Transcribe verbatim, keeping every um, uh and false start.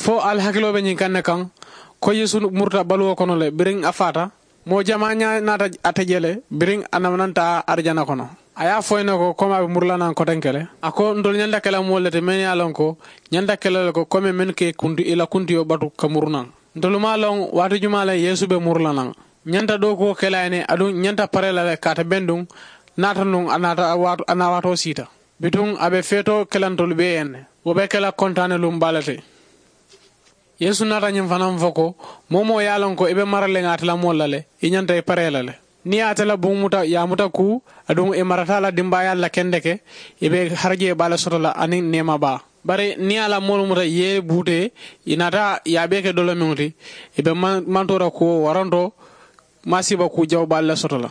Ko ali hakiloo be ñiŋ kaŋ ne kaŋ, ko yeesu muruta baluwo kono le biriŋ a faata. Moo jamaa ñaa naata ate je le biriŋ a namananta arijana kono. A ye a fo ì ne ko komi a be muru la naŋ kotenke le. A ko ntolu ñanta ke la moolu le ti mennu ye a loŋ ko ñanta ke la le ko komi mennu ka ì la kuntiyo batu ka muru naŋ. Ntolu maŋ a loŋ waati jumaa le yeesu be muru la naŋ. Ñanta dookuwo ke la a ye ne aduŋ ñanta paree la le kaata benduŋ. Naata nuŋ a naata a naa waatoo siita. Bituŋ a be feetoo ke la ntolu bee ye ne. Wo be ke la kontaane luŋ baa le ti. Yeesu naata ñiŋ fanaa fo ko, moo-wo-moo ye a loŋ ko i be mara le ŋa ate la moolu la le, i ñanta i paree la le. Niŋ i ye ate la buŋ muta i ye a muta kuu, aduŋ i marata a la dimbaayaalu la kendeke, i be harajee baa le soto la aniŋ neema baa. Bari niŋ i ye a la moolu muta i ye i buutee, i naata i ye a bee ke dolomiŋo ti, i be mantoora kuwo waranto. Maasiiba kuu jawu baa le soto la.